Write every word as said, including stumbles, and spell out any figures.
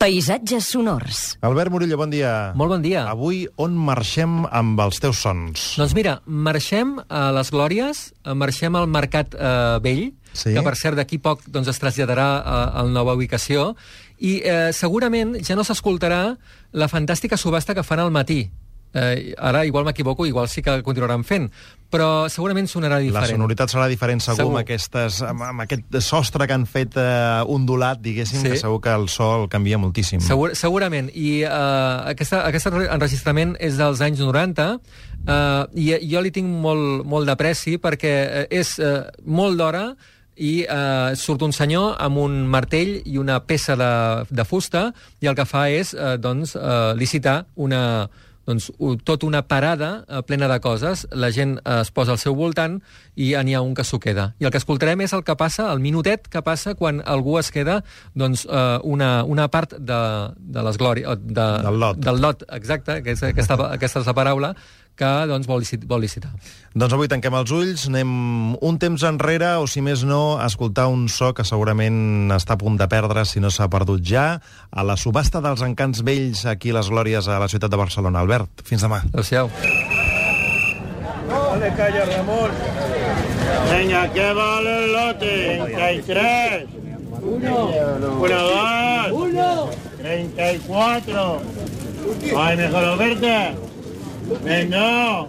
Paisatges sonors. Albert Murillo, bon dia. Molt bon dia. Avui on marxem amb els teus sons? Doncs mira, marxem a les Glòries, marxem al Mercat eh, Vell, Sí. que per cert d'aquí poc doncs, es traslladarà a, a la nova ubicació, i eh, segurament ja no s'escoltarà la fantàstica subhasta que fan al matí. Eh, ara igual m'equivoco, igual sí que continuaran fent, però segurament sonarà diferent. La sonoritat serà diferent segur, Segur. Amb, aquestes, amb, amb aquest sostre que han fet eh, ondulat, diguéssim, Sí. que segur que el so el canvia moltíssim. Segur, segurament, i uh, aquesta, aquest enregistrament és dels anys noranta, uh, i jo li tinc molt, molt d'apreci perquè és uh, molt d'hora i uh, surt un senyor amb un martell i una peça de, de fusta i el que fa és uh, doncs, uh, licitar una... doncs, tota una parada eh, plena de coses, la gent eh, es posa al seu voltant i n'hi ha un que s'ho queda. I el que escoltarem és el que passa, el minutet que passa quan algú es queda doncs, eh, una, una part de, de les glòries... De, del lot. Del lot, exacte, que és, aquesta, aquesta és la paraula, que doncs, vol, licitar, vol licitar. Doncs avui tanquem els ulls, anem un temps enrere, o si més no, a escoltar un so que segurament està a punt de perdre, si no s'ha perdut ja, a la subhasta dels encants vells aquí a les Glòries a la ciutat de Barcelona. Albert, fins demà. Adéu-siau. Dale calla, Ramón. Venga, ¿qué vale el lote? treinta y tres. Uno. Uno, dos. Uno. treinta y cuatro. Ay, mejor verte. Venga.